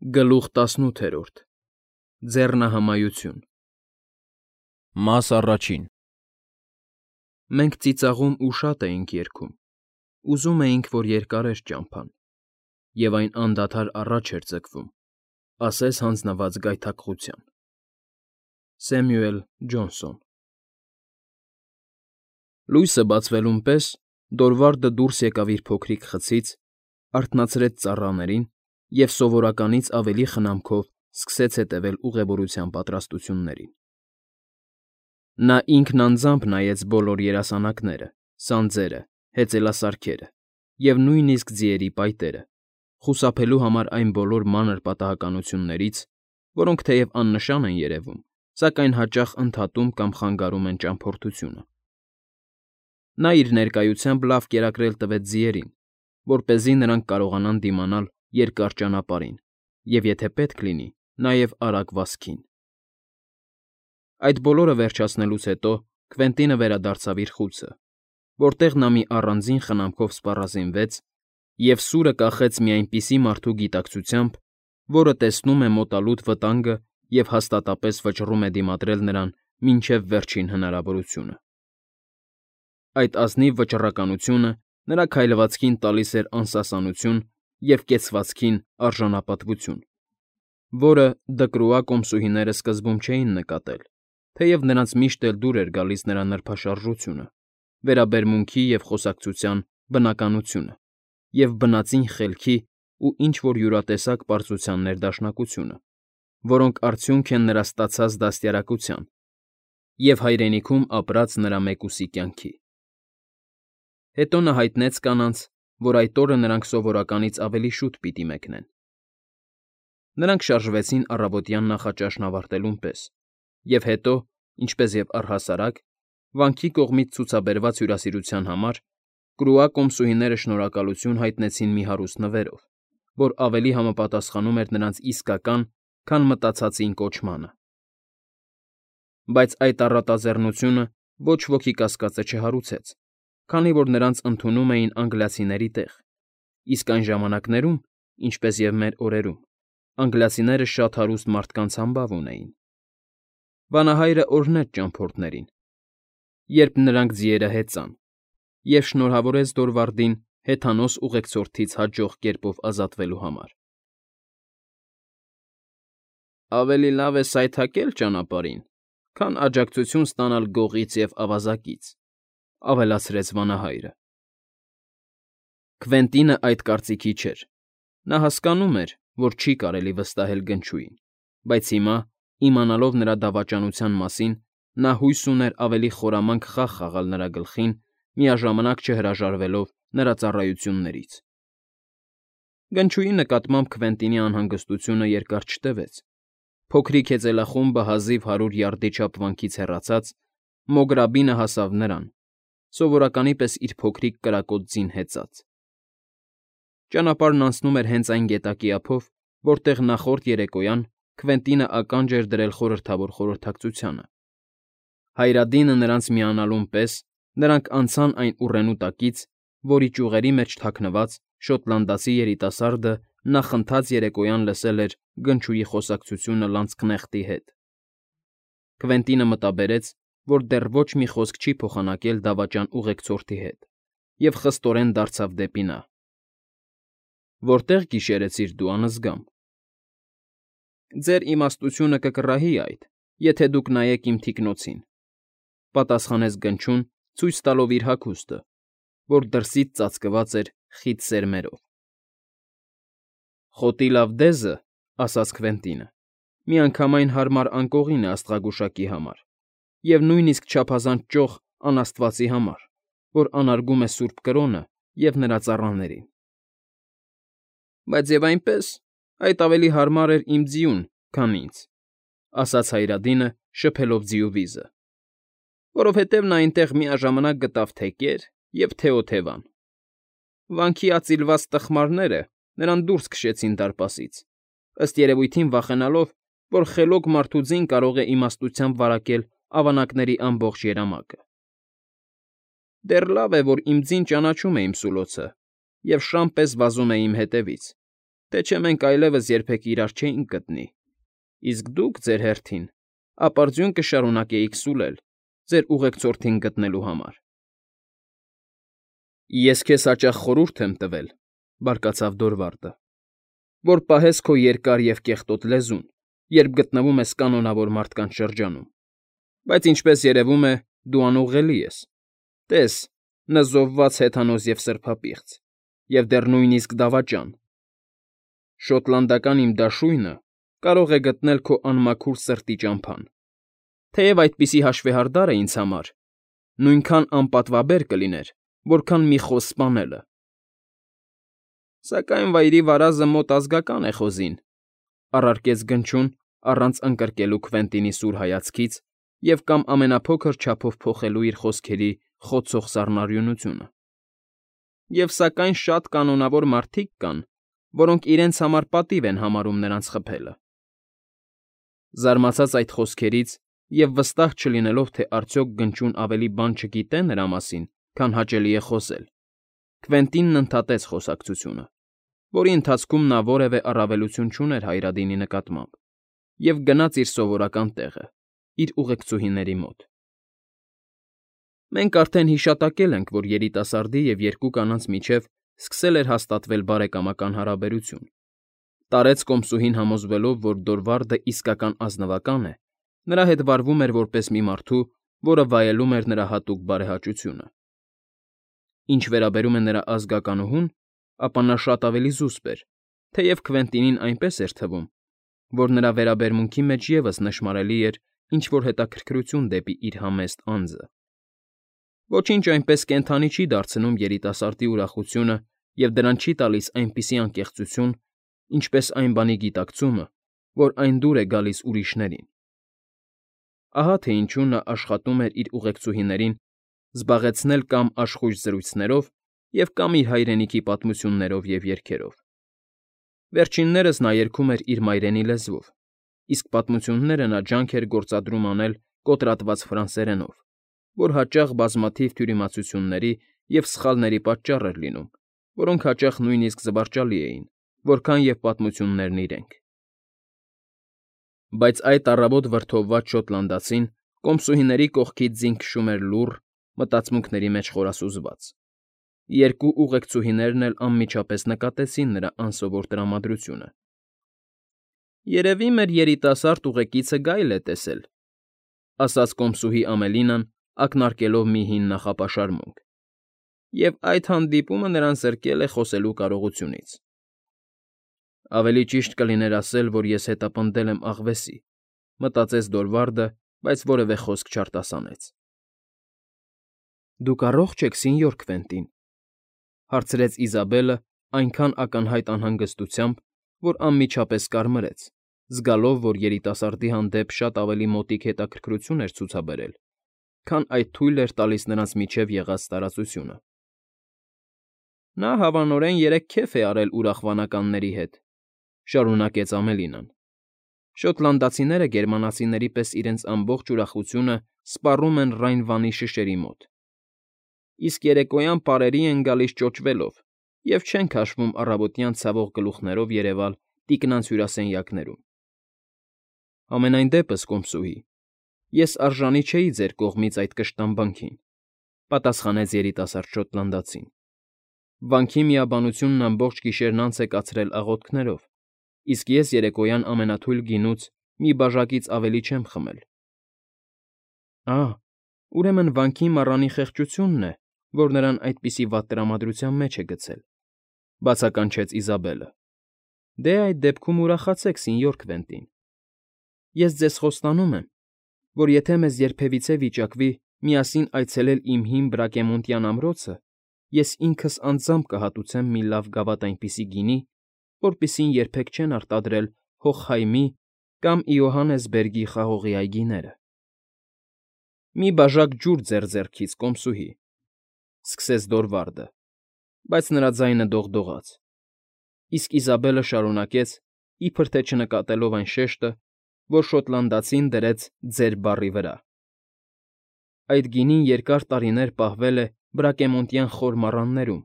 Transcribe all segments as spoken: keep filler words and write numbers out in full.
Գլուխ տասնութ։ Ձեռնահամայություն։ Մաս առաջին։ Մենք ծիծաղում ու շատ էինք երգում, ուզում էինք, որ երկար էր ճամփան, և այն անդադար առաջ էր ձգվում, ասես հանձնված գայթակղության։ Սեմյուել Ջոնսոն։ Լույսը բացվելուն պես Դորվարդը դուրս եկավ իր փոքրիկ խցից, արթնացրեց ծառաներին և սովորականից ավելի խնամքով սկսեց հետևել ուղևորության պատրաստություններին։ Նա ինքն անձամբ նայեց բոլոր երասանակները, սանձերը, հեծելասարքերը և նույնիսկ ձիերի պայտերը, խուսափելու համար այն բոլոր մանր պատահականություններից, որոնք թեև աննշան են երևում, սակայն հաճախ ընդհատում կամ խանգարում են ճամփորդությունը։ Նա իր ներկայությամբ լավ կերակրել տվեց ձիերին, որպեսզի նրանք կարողանան դիմանալ երկար ճանապարհին և, եթե պետք լինի, նաև արագ վազքին։ Այդ բոլորը վերջացնելուց հետո Կվենտինը վերադարձավ իր խուցը, որտեղ նա մի առանձին խնամքով սպառազինվեց և սուրը կախեց մի այնպիսի մարդու գիտակցությամբ, որը տեսնում է մոտալուտ վտանգը և հաստատապես վճռում է դիմադրել նրան մինչև վերջին հնարավորությունը։ Այդ ազնիվ վճռականությունը նրա քայլվածքին տալիս էր անսասանություն և կեցվածքին արժանապատվություն, որը Դկրուա կոմսուհիները սկզբում չէին նկատել, թեև նրանց միշտ էլ դուր էր գալիս նրա նրբաշարժությունը, վերաբերմունքի և խոսակցության բնականությունը և բնածին խելքի ու ինչ֊որ յուրատեսակ պարծության ներդաշնակությունը, որոնք արդյունք են նրա ստացած դաստիարակության և հայրենիքում ապրած նրա մեկուսի կյանքի։ Հետո նա հայտնեց կանանց, որ այդ օրը նրանք սովորականից ավելի շուտ պիտի մեկնեն։ Նրանք շարժվեցին առավոտյան նախաճաշն ավարտելուն պես, և հետո, ինչպես և առհասարակ, վանքի կողմից ցուցաբերված հյուրասիրության համար Կրուա կոմսուհիները շնորհակալություն հայտնեցին մի հարուստ նվերով, որ ավելի համապատասխանում էր նրանց իսկական, քան մտածածին կոչմանը։ Բայց այդ առատաձեռնությունը ոչ ոքի կասկածը չհարուցեց, քանի որ նրանց ընդունում էին անգլիացիների տեղ, իսկ այն ժամանակներում, ինչպես և մեր օրերում, անգլիացիները շատ հարուստ մարդկանց համբավ ունեին։ Վանահայրը օրհնեց ճամփորդներին, երբ նրանք ձիերը հեծան, և շնորհավորեց Դորվարդին հեթանոս ուղեկցորդից հաջող կերպով ազատվելու համար։ «Ավելի լավ է սայթաքել ճանապարհին, քան աջակցություն ստանալ գողից և ավազակից», ֊ ավելացրեց վանահայրը։ Քվենտինը այդ կարծիքի չէր։ Նա հասկանում էր, որ չի կարելի վստահել Գնչուին, բայց հիմա, իմանալով նրա դավաճանության մասին, նա հույս ուներ ավելի խորամանկ խաղ խաղալ նրա գլխին, միաժամանակ չհրաժարվելով նրա ծառայություններից։ Գնչուի նկատմամբ Քվենտինի անհանգստությունը երկար չտևեց։ Փոքրիկ հեծելախումբը հազիվ հարյուր յարդի չափ վանքից հեռացած, Մոգրաբինը հասավ նրան, սովորականի պես իր փոքրիկ կրակոտ ձին հեծած։ Ճանապարհն անցնում էր հենց այն գետակի ափով, որտեղ նախորդ երեկոյան Քվենտինը ականջ էր դրել խորհրդավոր խորհրդակցությանը։ Հայրադինը նրանց միանալուն պես նրանք անցան այն ուռենու տակից, որի ճյուղերի մեջ թաքնված շոտլանդացի երիտասարդը նախընթաց երեկոյան լսել էր Գնչուի խոսակցությունը լանցքնեխտի հետ։ Քվենտինը մտաբերեց, որ դեռ ոչ մի խոսք չի փոխանակել դավաճան ուղեկցորդի հետ, և խստորեն դարձավ դեպի նա։ ֊ Որտե՞ղ գիշերեցիր դու, անզգամ։ ֊ Ձեր իմաստությունը կկռահի այդ, եթե դուք նայեք իմ թիկնոցին, ֊ պատասխանեց Գնչուն, ցույց տալով իր հագուստը, որ դրսից ծածկված էր խիտ սերմերով։ ֊ Խոտի լավ դեզը, ֊ ասաց Քվենտինը, ֊ միանգամայն հարմար անկողին է աստղագուշակի համար և նույնիսկ չափազանց ճոխ անաստվածի համար, որ անարգում է սուրբ կրոնը և նրա ծառաներին։ ֊ Բայց և այնպես, այդ ավելի հարմար էր իմ ձիուն, քան ինձ, ֊ ասաց Հայրադինը, շփելով ձիու վիզը, ֊ որովհետև նա այնտեղ միաժամանակ գտավ թե կեր և թե օթևան։ Վանքի ածիլված տխմարները նրան դուրս քշեցին դարպասից, ըստ երևույթին վախենալով, որ խելոք մարդու ձին կարող է իմաստությամբ վարակել ավանակների ամբողջ երամակը։ Դեռ լավ է, որ իմ ձին ճանաչում է իմ սուլոցը և շան պես վազում է իմ հետևից, թե չէ մենք այլևս երբեք իրար չէինք գտնի, իսկ դուք, ձեր հերթին, ապարդյուն կշարունակեիք սուլել ձեր ուղեկցորդին գտնելու համար։ ֊ Ես քեզ հաճախ խորհուրդ եմ տվել,֊ բարկացավ Դորվարդը,֊ որ պահես քո երկար և կեղտոտ լեզուն, երբ գտնվում ես կանոնավոր մարդկանց շրջանում, բայց, ինչպես երևում է, դու անուղղելի ես, տես, նզովված հեթանոս և սրբապիղծ, և դեռ նույնիսկ դավաճան. շոտլանդական իմ դաշույնը կարող է գտնել քո անմաքուր սրտի ճամփան, թեև այդպիսի հաշվեհարդարը ինձ համար նույնքան անպատվաբեր կլիներ, որքան մի խոզ սպանելը։ ֊ Սակայն վայրի վարազը մոտ ազգական է խոզին,֊ առարկեց Գնչուն առանց ընկրկելու Քվենտինի սուր հայացքից և կամ ամենափոքր չափով փոխելու իր խոսքերի խոցող սառնարյունությունը,֊ և սակայն շատ կանոնավոր մարդիկ կան, որոնք իրենց համար պատիվ են համարում նրանց խփելը։ Զարմացած այդ խոսքերից և վստահ չլինելով, թե արդյոք Գնչուն ավելի բան չգիտե նրա մասին, քան հաճելի է խոսել, Քվենտինն ընդհատեց խոսակցությունը, որի ընթացքում նա որևէ առավելություն չուներ Հայրադինի նկատմամբ, և գնաց իր սովորական տեղը՝ իր ուղեկցուհիների մոտ։ ֊ Մենք արդեն հիշատակել ենք, որ երիտասարդի և երկու կանանց միջև սկսել էր հաստատվել բարեկամական հարաբերություն,֊ տարեց կոմսուհին համոզվելով, որ Դորվարդը իսկական ազնվական է, նրա հետ վարվում էր որպես մի մարդու, որը վայելում էր նրա հատուկ բարեհաճությունը։ Ինչ վերաբերում է նրա ազգականուհուն, ապա նա շատ ավելի զուսպ էր, թեև Քվենտինին այնպես էր թվում, որ նրա վերաբերմունքի մեջ ևս նշմարելի էր ինչ֊որ հետաքրքրություն դեպի իր համեստ անձը։ Ոչինչ այնպես կենդանի չի դարձնում երիտասարդի ուրախությունը և դրան չի տալիս այնպիսի անկեղծություն, ինչպես այն բանի գիտակցումը, որ այն դուր է գալիս ուրիշներին։ Ահա թե ինչու նա աշխատում էր իր ուղեկցուհիներին զբաղեցնել կամ աշխույժ զրույցներով և կամ իր հայրենիքի պատմություններով և երգերով։ Վերջիններս նա երգում էր իր մայրենի լեզվով, իսկ պատմությունները նա ջանք էր գործադրում անել կոտրատված ֆրանսերենով, որ հաճախ բազմաթիվ թյուրիմացությունների և սխալների պատճառ էր լինում, որոնք հաճախ նույնիսկ զվարճալի էին, որքան և պատմություններն իրենք։ Բայց այդ առավոտ վրդովված շոտլանդացին կոմսուհիների կողքից ձին քշում էր լուռ, մտածմունքների մեջ խորասուզված։ Երկու ուղեկցուհիներն էլ անմիջապես նկատեցին նրա անսովոր տրամադրությունը։ ֊ Երևի մեր երիտասարդ ուղեկիցը գայլ է տեսել,֊ ասաց կոմսուհի Ամելինան, ակնարկելով մի հին նախապաշարմունք,֊ և այդ հանդիպումը նրան զրկել է խոսելու կարողությունից։ ֊ Ավելի ճիշտ կլիներ ասել, որ ես հետապնդել եմ աղվեսի,֊ մտածեց Դորվարդը, բայց որևէ խոսք չարտասանեց։ ֊ Դուք առողջ եք, սենյոր Քվենտին,֊ հարցրեց Իզաբելը այնքան ակնհայտ անհանգստությամբ, որ անմիջապես կարմրեց, զգալով, որ երիտասարդի հանդեպ շատ ավելի մոտիկ հետաքրքրություն էր ցուցաբերել, քան այդ թույլ էր տալիս նրանց միջև եղած տարածությունը։ ֊ Նա հավանորեն երեկ քեֆ է արել ուրախ վանականների հետ,֊ շարունակեց Ամելինան,֊ շոտլանդացիները գերմանացիների պես իրենց ամբողջ ուրախությունը սպառում են Ռայն վանի շշերի մոտ, իսկ երեկոյան պարերի են գալիս ճոճվելով և չեն քաշվում առավոտյան ցավող գլուխներով երևալ տիկնանց հյուրասենյակներում։ ֊ Համենայն դեպս, կոմսուհի, ես արժանի չէի ձեր կողմից այդ կշտամբանքին,֊ պատասխանեց երիտասարդ շոտլանդացին,֊ վանքի միաբանությունն ամբողջ գիշերն անց է կացրել աղոթքներով, իսկ ես երեկոյան ամենաթույլ գինուց մի բաժակից ավելի չեմ խմել։ ֊ Ա՜, ուրեմն վանքի մառանի խեղճությունն է, որ նրան այդպիսի վատ տրամադրության մեջ է գցել,֊ բացականչեց Իզաբելը։ ֊ Դե, այդ դեպքում ուրախացեք, սենյոր Քվենտին։ Ես ձեզ խոստանում եմ, որ եթե մեզ երբևիցե վիճակվի միասին այցելել իմ հին Բրակեմոնտյան ամրոցը, ես ինքս անձամբ կհատուցեմ մի լավ գավաթ այնպիսի գինի, որպիսին երբեք չեն արտադրել Հոխհայմի կամ Իոհաննեսբերգի խաղողի այգիները։ ֊ Մի բաժակ ջուր ձեր ձեռքից, կոմսուհի,֊ սկսեց Դորվարդը, բայց նրա ձայնը դողդողաց, իսկ Իզաբելը շարունակեց, իբր թե չնկատելով այն շեշտը, որ շոտլանդացին դրեց «ձեր» բառի վրա,֊ Այդ գինին երկար տարիներ պահվել է Բրակեմոնտյան խոր մառաններում,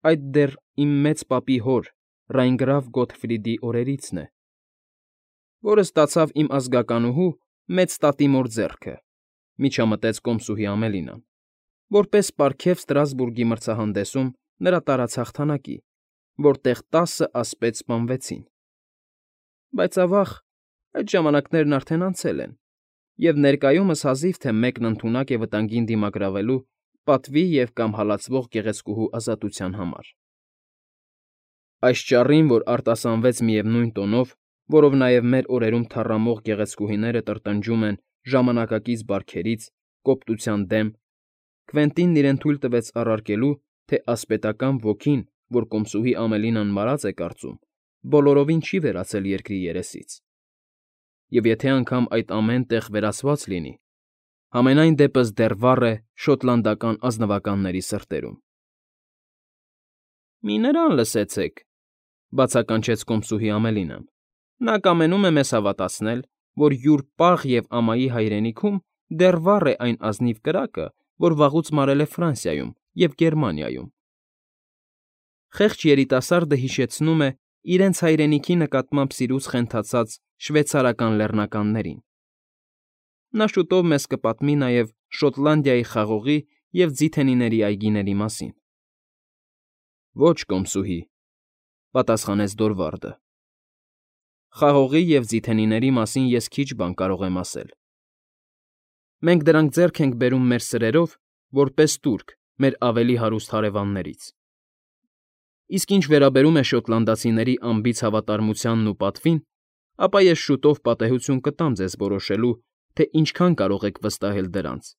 այդ դեռ իմ մեծ պապի հոր՝ Ռայնգրավ Գոթֆրիդի օրերիցն է, որը ստացավ իմ ազգականուհու մեծ տատիմոր ձեռքը, միջամտեց կոմսուհի Ամելինան, որպես պարգև Ստրասբուրգի մրցահանդեսում նրա տարած հաղթանակի, որտեղ տասը ասպետ սպանվեցին։ Բայց ավաղ, այդ ժամանակներն արդեն անցել են, և ներկայումս հազիվ թե մեկն ընդունակ է վտանգին դիմակրավելու պատվի և կամ հալածվող գեղեցկուհու ազատության համար։ Այս ճառին, որ արտասանվեց միևնույն տոնով, որով նաև մեր օրերում թառամող գեղեցկուհիները տրտնջում են ժամանակակից բարքերից, կոպտության դեմ, Քվենտինն իրեն թույլ տվեց առարկելու, թե ասպետական ոգին, որ կոմսուհի Ամելինան մարած է կարծում, բոլորովին չի վերացել երկրի երեսից։ Եվ եթե անգամ այդ ամեն տեղ վերացված լինի, համենայն դեպս դեռ վառ է շոտլանդական ազնվականների սրտերում։ ֊ Մի նրան լսեցեք,֊ բացականչեց կոմսուհի Ամելինան։֊ Նա կամենում է մեզ հավատացնել, որ յուր պաղ և ամայի հայրենիքում դեռ վառ է այն ազնիվ կրակը, որ վաղուց մարել է Ֆրանսիայում և Գերմանիայում։ Խեղճ երիտասարդը հիշեցնում է իրենց հայրենիքի նկատմամբ սիրուց խենթացած շվեյցարական լեռնականներին։ Նա շուտով մեզ կպատմի նաև Շոտլանդիայի խաղողի և ձիթենիների այգիների մասին։ ֊ Ո՛չ, կոմսուհի,֊ պատասխանեց Դորվարդը։ Խաղողի և ձիթենիների մասին ես քիչ բան կարող եմ ասել։ Մենք դրանք ձեռք ենք բերում մեր սրերով, որպես տուրք մեր ավելի հարուստ հարևաններից։ Իսկ ինչ վերաբերում է շոտլանդացիների անբիծ հավատարմությանն ու պատվին, ապա ես շուտով պատեհություն կտամ ձեզ որոշելու, թե ինչքան կարող եք վստահել դրանց։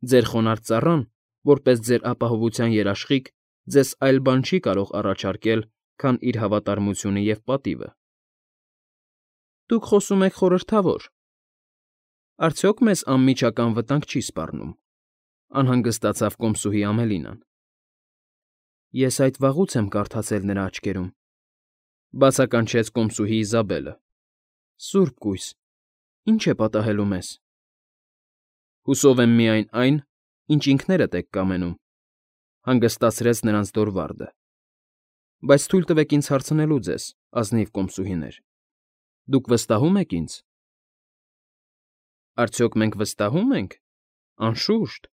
Ձեր խոնարհ ծառան, որպես ձեր ապահովության երաշխիք, ձեզ այլ բան չի կարող առաջարկել, քան իր հավատարմությունը և պատիվը։ ֊ Դուք խոսում եք խորհրդավոր… Արդյոք մեզ անմիջական վտանգ չի սպառնում,֊ անհանգստացավ կոմսուհի Ամելինան։ ֊ Ես այդ վաղուց եմ կարդացել նրա աչքերում,֊ բացականչեց կոմսուհի Իզաբելը։֊ Սուրբ կույս, ի՞նչ է պատահելու մեզ։ ֊ Հուսով եմ միայն այն, ինչ ինքներդ եք կամենում,֊ հանգստացրեց նրանց Դորվարդը։ ֊ Բայց թույլ տվեք ինձ հարցնելու ձեզ, ազնիվ կոմսուհիներ. դուք վստահո՞ւմ եք ինձ։ ֊ Արդյոք մենք վստահո՞ւմ ենք, անշուշտ,֊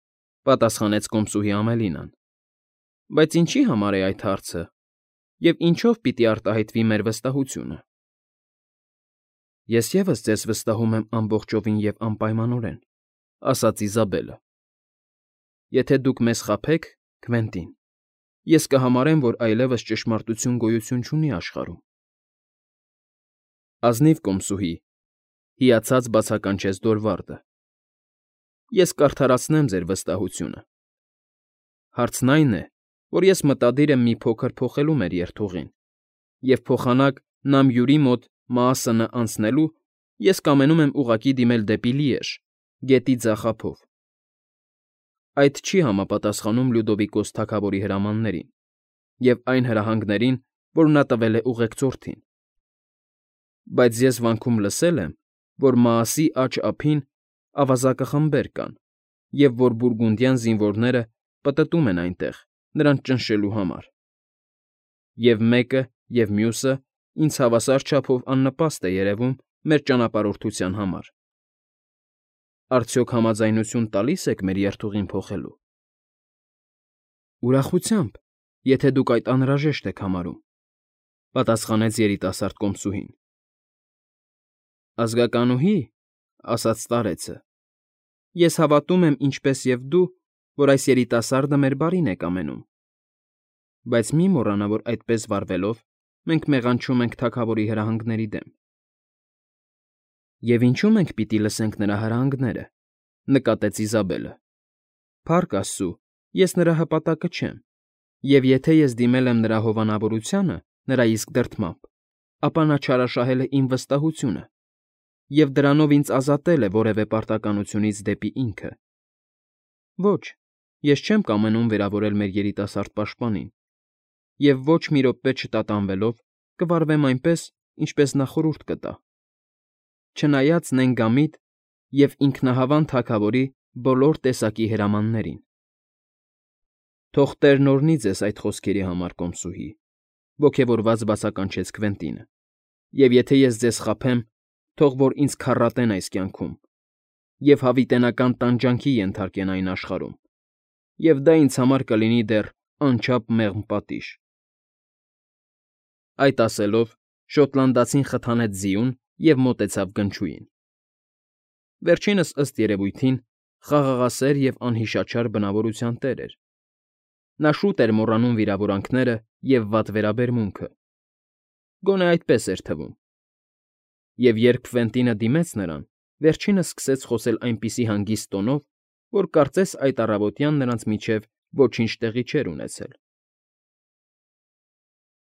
պատասխանեց կոմսուհի Ամելինան։ ֊ Բայց ինչի՞ համար է այդ հարցը, և ինչո՞վ պիտի արտահայտվի մեր վստահությունը։ ֊ Ես ևս ձեզ վստահում եմ ամբողջովին և անպայմանորեն,֊ ասաց Իզաբելը։ ֊ Եթե դուք մեզ խաբեք, Քվենտին, ես կհամարեմ, որ այլևս ճշմարտություն գոյություն չունի աշխարհում։ ֊ Ազնիվ կոմսուհի,֊ հիացած բացականչեց Դորվարդը,֊ ես կարդարացնեմ ձեր վստահությունը։ Հարցն այն է, որ ես մտադիր եմ մի փոքր փոխելու մեր երթուղին, և փոխանակ Նամյուրի մոտ Մաասնը անցնելու ես կամենում եմ ուղղակի դիմել դեպի Լիեժ, գետի ձախափով։ Այդ չի համապատասխանում Լյուդովիկոս թագավորի հրամաններին և այն հրահանգներին, որ նա տվել է ուղեկցորդին։ Բայց ես վանքում լսել եմ, որ Մաասի աջ ափին ավազակախմբեր կան և որ բուրգունդյան զինվորները պտտում են այնտեղ, նրանց ճնշելու համար։ Եվ մեկը, և մյուսը ինձ հավասար չափով աննպաստ է երևում մեր ճանապարհորդության համար։ Արդյոք համաձայնություն տալի՞ս եք մեր երթուղին փոխելու։ ֊ Ուրախությամբ, եթե դուք այդ անհրաժեշտ եք համարում,֊ պատասխանեց երիտասարդ կոմսուհին։ ֊ Ազգականուհի,֊ ասաց старեցը,֊ ես հավատում եմ, ինչպես և դու, որ այս երիտասարդը մեր բարին է կամենում։ Բայց մի մոռանա, որ այդպես վարվելով մենք մեղանչում ենք թագավորի հրահանգների դեմ։ ֊ Եվ ինչու մենք պիտի լսենք նրա հրահանգները,֊ նկատեց Իզաբելը։ ֊ Փառք աստծու, ես նրա հպատակը չեմ, և եթե ես դիմել եմ նրա հովանավորությանը նրա իսկ դրդմամբ, ապա նա չարաշահել է իմ վստահությունը և դրանով ինձ ազատել է որևէ պարտականությունից դեպի ինքը։ Ոչ, ես չեմ կամենում վերավորել մեր երիտասարդ պաշտպանին և ոչ մի րոպե չտատանվելով կվարվեմ այնպես, ինչպես նա խորհուրդ կտա, չնայած նենգամիտ և ինքնահավան թագավորի բոլոր տեսակի հրամաններին։ Թող Տերն օրհնի ձեզ այդ խոսքերի համար, կոմսուհի, ոգևորված բացականչեց Քվենտինը։ Եվ եթե ես ձեզ խաբեմ, թող որ ինձ քառատեն այս կյանքում և հավիտենական տանջանքի ենթարկեն այն աշխարհում, և դա ինձ համար կլինի դեռ անչափ մեղմ պատիժ… Այդ ասելով, շոտլանդացին խթանեց ձիուն և մոտեցավ գնչուին. վերջինս, ըստ երևույթին, խաղաղասեր և անհիշաչար բնավորության տեր էր. նա շուտ էր մոռանում վիրավորանքները և վատ վերաբերմունքը, գոնե այդպես էր թվում, և երբ Քվենտինը դիմեց նրան, վերջինս սկսեց խոսել այնպիսի հանգիստ տոնով, որ կարծես այդ առավոտյան նրանց միջև ոչինչ տեղի չէր ունեցել։